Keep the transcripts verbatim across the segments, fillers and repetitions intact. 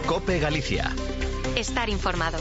COPE Galicia. Estar informado.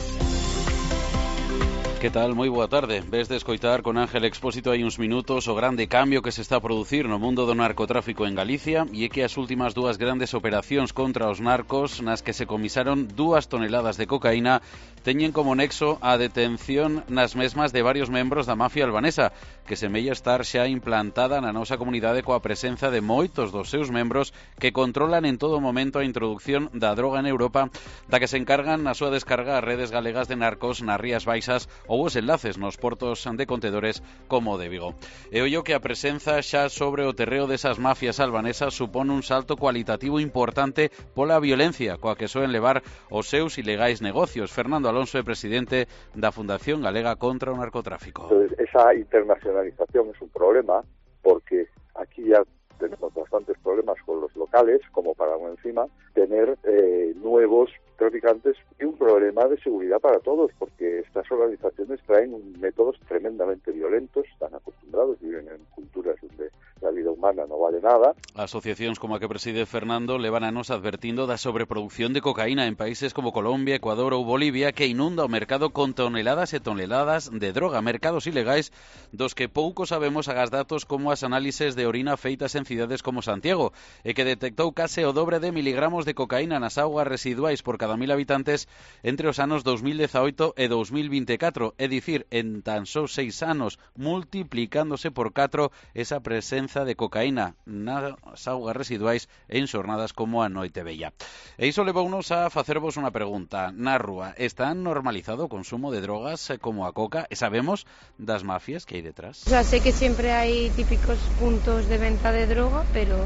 Que tal? Moi boa tarde. Ves de escoitar con Ángel Expósito hai uns minutos o grande cambio que se está a producir no mundo do narcotráfico en Galicia, e é que as últimas dúas grandes operacións contra os narcos nas que se comisaron dúas toneladas de cocaína teñen como nexo a detención nas mesmas de varios membros da mafia albanesa, que semella estar xa implantada na nosa comunidade coa presenza de moitos dos seus membros que controlan en todo momento a introducción da droga en Europa, da que se encargan na súa descarga as redes galegas de narcos nas Rías Baixas ou os enlaces nos portos de contedores como o de Vigo. E ollo que a presenza xa sobre o terreo desas mafias albanesas supón un salto cualitativo importante pola violencia coa que soen levar os seus ilegais negocios. Fernando Alonso é presidente da Fundación Galega contra o Narcotráfico. Entonces, esa internacionalización es un problema porque aquí ya tenemos bastantes problemas con los locales, como para aún encima tener eh, nuevos traficantes y un problema de seguridad para todos, porque estas organizaciones traen métodos tremendamente violentos, están acostumbrados, viven en culturas donde la vida humana no vale nada. Asociacións como a que preside Fernando levan anos advertindo da sobreproducción de cocaína en países como Colombia, Ecuador ou Bolivia, que inunda o mercado con toneladas e toneladas de droga, mercados ilegais dos que pouco sabemos agás datos como as análises de orina feitas en cidades como Santiago, e que detectou case o dobre de miligramos de cocaína nas augas residuais por cada mil habitantes entre os anos dos mil dezaoito e dos mil vinte e catro, é dicir, en tan só seis anos, multiplicándose por catro esa presenza de cocaína nas augas residuais en xornadas como a Noite Bella. E iso levounos a facervos unha pregunta. Na rúa, está normalizado o consumo de drogas como a coca? E sabemos das mafias que hai detrás? O sea, sé que siempre hay típicos puntos de venta de droga, pero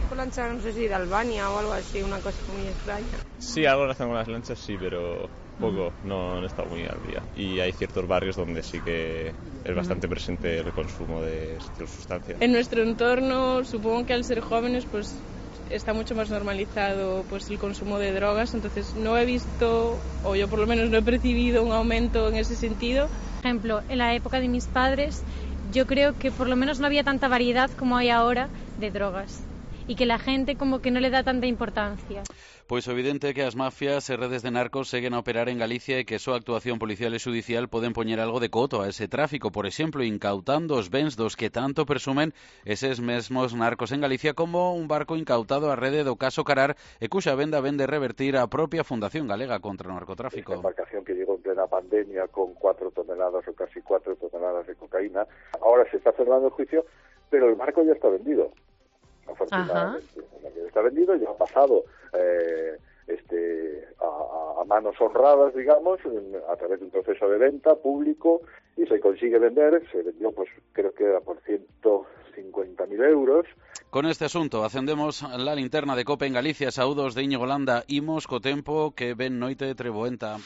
con lancha, no sé si de Albania o algo así, una cosa muy extraña. Sí, algo relacionado con las lanchas, sí, pero poco, no, no he estado muy al día. Y hay ciertos barrios donde sí que es bastante presente el consumo de estas sustancias. En nuestro entorno, supongo que al ser jóvenes, pues está mucho más normalizado pues el consumo de drogas, entonces no he visto, o yo por lo menos no he percibido un aumento en ese sentido. Por ejemplo, en la época de mis padres, yo creo que por lo menos no había tanta variedad como hay ahora de drogas, y que la gente como que no le da tanta importancia. Pois é evidente que as mafias e redes de narcos seguen a operar en Galicia e que a súa actuación policial e xudicial poden poñer algo de coto a ese tráfico, por exemplo, incautando os bens dos que tanto presumen eses mesmos narcos en Galicia, como un barco incautado á rede do caso Carar e cuxa venda vende revertir a propia Fundación Galega contra o Narcotráfico. Esta embarcación que llegó en plena pandemia con cuatro toneladas o casi cuatro toneladas de cocaína, ahora se está cerrando el juicio, pero el barco ya está vendido. Afortunadamente, está vendido, ya ha pasado eh, este a, a manos honradas, digamos, a través de un proceso de venta público, y se consigue vender. Se vendió, pues creo que era por ciento cincuenta mil euros. Con este asunto acendemos la linterna de COPE en Galicia. Saúdos de Íñigo Landa. Imos co tempo que ven noite de treboenta,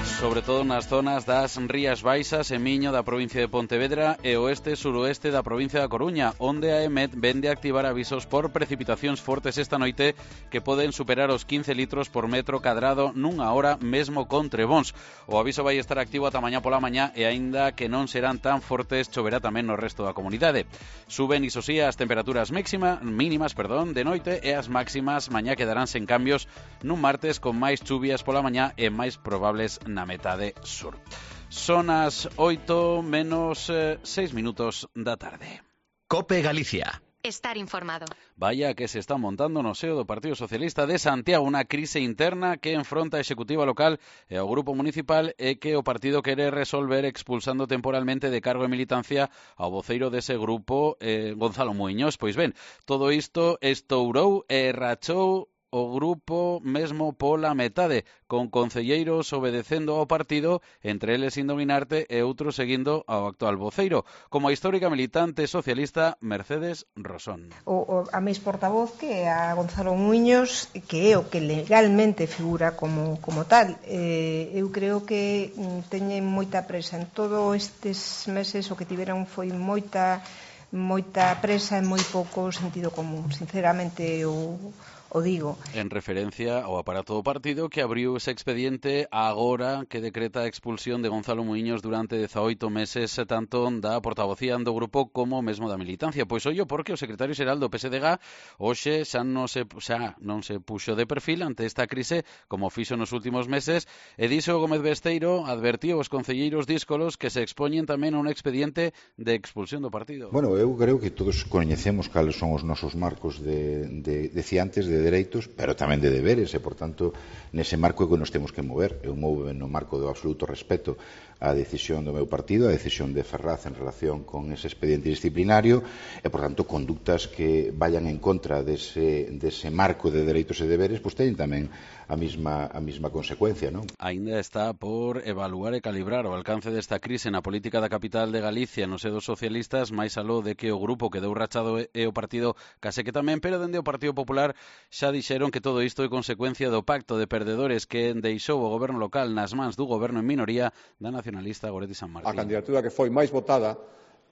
sobre todo nas zonas das Rías Baixas e Miño da provincia de Pontevedra e oeste e suroeste da provincia da Coruña, onde a EMET vende a activar avisos por precipitacións fortes esta noite que poden superar os quince litros por metro cadrado nunha hora, mesmo con trebóns. O aviso vai estar activo ata mañá pola mañá e aínda que non serán tan fortes, choverá tamén no resto da comunidade. Suben, iso sí, as temperaturas máxima, mínimas perdón, de noite, e as máximas mañá quedarán sen cambios nun martes con máis chuvias pola mañá e máis probables na metade sur. Son as oito menos seis minutos da tarde. COPE Galicia. Estar informado. Vaya que se está montando no seo do Partido Socialista de Santiago unha crise interna que enfronta a executiva local e ao grupo municipal, e que o partido quere resolver expulsando temporalmente de cargo e militancia ao voceiro dese grupo, eh, Gonzalo Muiños. Pois ben, todo isto estourou e rachou o grupo mesmo pola metade, con concelleiros obedecendo ao partido, entre eles Indominarte e outros seguindo ao actual voceiro, como a histórica militante socialista Mercedes Rosón. O, o, a mes portavoz, que é a Gonzalo Muiños, que é o que legalmente figura como, como tal. Eh, eu creo que teñen moita presa en todos estes meses, o que tiveron foi moita moita presa e moi pouco sentido común. Sinceramente, o o digo. En referencia ao aparato do partido que abriu ese expediente agora que decreta a expulsión de Gonzalo Muiños durante dezaoito meses, tanto da portavocía do grupo como mesmo da militancia. Pois ollo porque o secretario xeral do P S D G hoxe xa non se, xa non se puxo de perfil ante esta crise como fixo nos últimos meses e dixo Gómez Besteiro advertiu aos concelleiros díscolos que se expoñen tamén a un expediente de expulsión do partido. Bueno, eu creo que todos coñecemos cales son os nosos marcos de, de, decía antes, de dereitos, pero tamén de deberes, e, por tanto, nese marco é que nos temos que mover. Eu movo no marco do absoluto respeto á decisión do meu partido, a decisión de Ferraz en relación con ese expediente disciplinario, e, por tanto, conductas que vayan en contra dese, dese marco de dereitos e deberes, pois teñen tamén a mesma, a mesma consecuencia, non? Ainda está por evaluar e calibrar o alcance desta crise na política da capital de Galicia nos sedos socialistas, máis aló de que o grupo que deu rachado é o partido case que tamén, pero dende o Partido Popular xa dixeron que todo isto é consecuencia do pacto de perdedores que deixou o goberno local nas mans do goberno en minoría da nacionalista Goretti San Martín. A candidatura que foi máis votada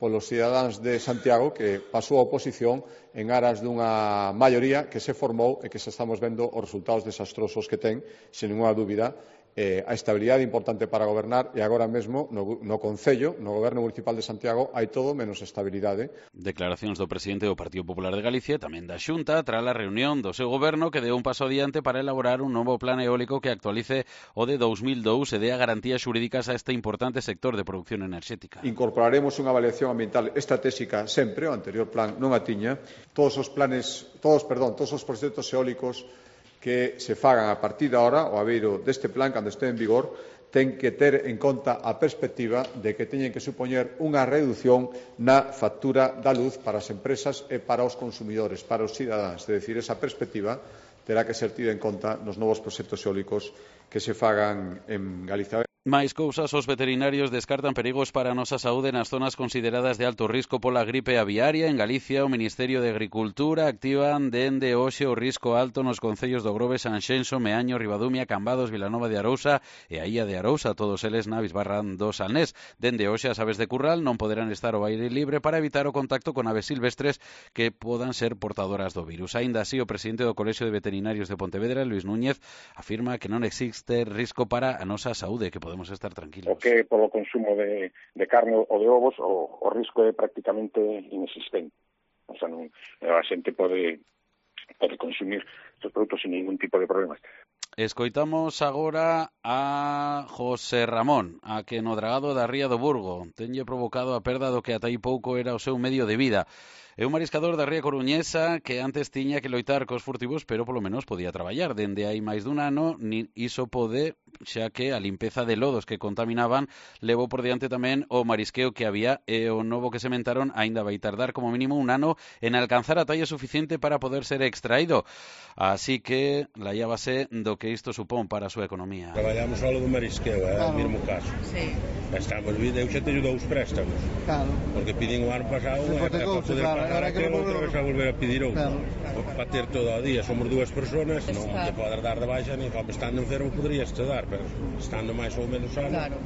polos cidadáns de Santiago, que pasou a oposición en aras dunha maioría que se formou e que xa estamos vendo os resultados desastrosos que ten, sen ninguna dúbida, eh, a estabilidade importante para gobernar, e agora mesmo no, no Concello, no Goberno Municipal de Santiago, hai todo menos estabilidade. Declaracións do presidente do Partido Popular de Galicia, tamén da Xunta, tras a reunión do seu goberno que deu un paso adiante para elaborar un novo plan eólico que actualice o de dous mil dous e dea garantías xurídicas a este importante sector de produción enerxética. Incorporaremos unha avaliación ambiental estratégica sempre, o anterior plan non a tiña. Todos os planes, todos, perdón, todos os proxectos eólicos que se fagan a partir de ahora, o abeiro deste plan, cando este en vigor, ten que ter en conta a perspectiva de que teñen que supoñer unha reducción na factura da luz para as empresas e para os consumidores, para os cidadáns. É dicir, esa perspectiva terá que ser tida en conta nos novos proxectos eólicos que se fagan en Galicia. Máis cousas, os veterinarios descartan perigos para a nosa saúde nas zonas consideradas de alto risco pola gripe aviaria. En Galicia, o Ministerio de Agricultura activan dende hoxe o risco alto nos concellos do Grove, Sanxenxo, Meaño, Ribadumia, Cambados, Vilanova de Arousa e a Illa de Arousa, todos eles na Bisbarra do Salnés. Dende hoxe as aves de curral non poderán estar ao aire libre para evitar o contacto con aves silvestres que podan ser portadoras do virus. Aínda así, o presidente do Colexio de Veterinarios de Pontevedra, Luis Núñez, afirma que non existe risco para a nosa saúde, que podemos estar tranquilos. O que polo consumo de, de carne ou de ovos o, o risco é prácticamente inexistente. O sea, non, a xente pode, pode consumir estes produtos sin ningún tipo de problemas. Escoitamos agora a José Ramón, a que no dragado da Ría do Burgo tenlle provocado a perda do que ata aí pouco era o seu medio de vida. É un mariscador da Ría Coruñesa que antes tiña que loitar cos furtivos, pero polo menos podía traballar. Dende hai máis dun ano, nin iso pode, xa que a limpeza de lodos que contaminaban levou por diante tamén o marisqueo que había, e o novo que sementaron aínda vai tardar como mínimo un ano en alcanzar a talla suficiente para poder ser extraído. Así que laíabase do que isto supón para a súa economía. Traballamos só do marisqueo, é claro. O mesmo caso. Sí. Estamos vindo, eu xa teño dous préstamos. Claro. Porque pidín o ano pasado e para poder claro. pagar aquilo, outra vez a volver a pedir outro. Claro. Para ter todo o día, somos dúas persoas, non te podes dar de baixa, ni estando enfermo poderías te dar, pero estando máis ou menos sano. Claro.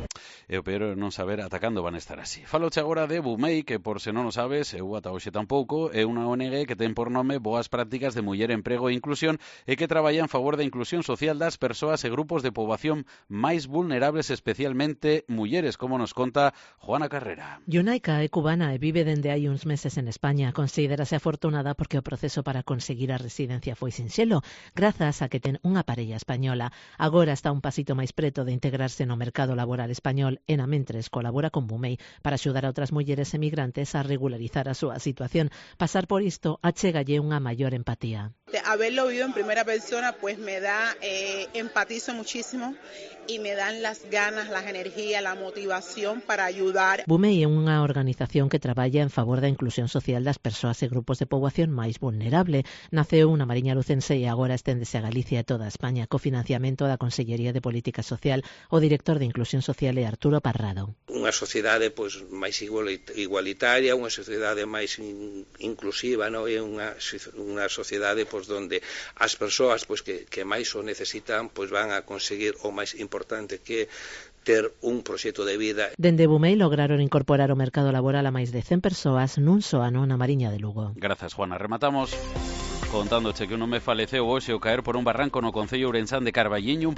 E o peor é non saber ata cando van estar así. Faloche agora de Bumei, que por se non o sabes, eu ata hoxe tampouco, é unha O N G que ten por nome Boas Prácticas de Muller, Emprego e Inclusión e que traballa en favor da inclusión social das persoas e grupos de poboación máis vulnerables, especialmente mulleres, como nos conta Juana Carrera. Yunaika é cubana e vive dende hai uns meses en España. Considérase afortunada porque o proceso para conseguir a residencia foi sinxelo, grazas a que ten unha parella española. Agora está un pasito máis preto de integrarse no mercado laboral español e na mentres colabora con Bumei para axudar a outras mulleres emigrantes a regularizar a súa situación. Pasar por isto achegalle unha maior empatía. Haberlo vivido en primera persona pues me da, eh, empatizo muchísimo y me dan las ganas, las energías, la motivación para ayudar. Bumei é unha organización que traballa en favor da inclusión social das persoas e grupos de poboación máis vulnerable. Naceu na Mariña Lucense e agora esténdese a Galicia e toda España co financiamento da Consellería de Política Social. O director de Inclusión Social é Arturo Parrado. Unha sociedade pois máis igualitaria, unha sociedade máis in, inclusiva, non? É unha unha sociedade pois donde as persoas pois que que máis o necesitan pois van a conseguir o máis importante que ter un proxecto de vida. Dende Bumei lograron incorporar o mercado laboral a máis de cen persoas nun só ano na Mariña de Lugo. Grazas, Juana. Rematamos. Contándoche que un home faleceu hoxe ao caer por un barranco no concello ourensán de Carballiño, un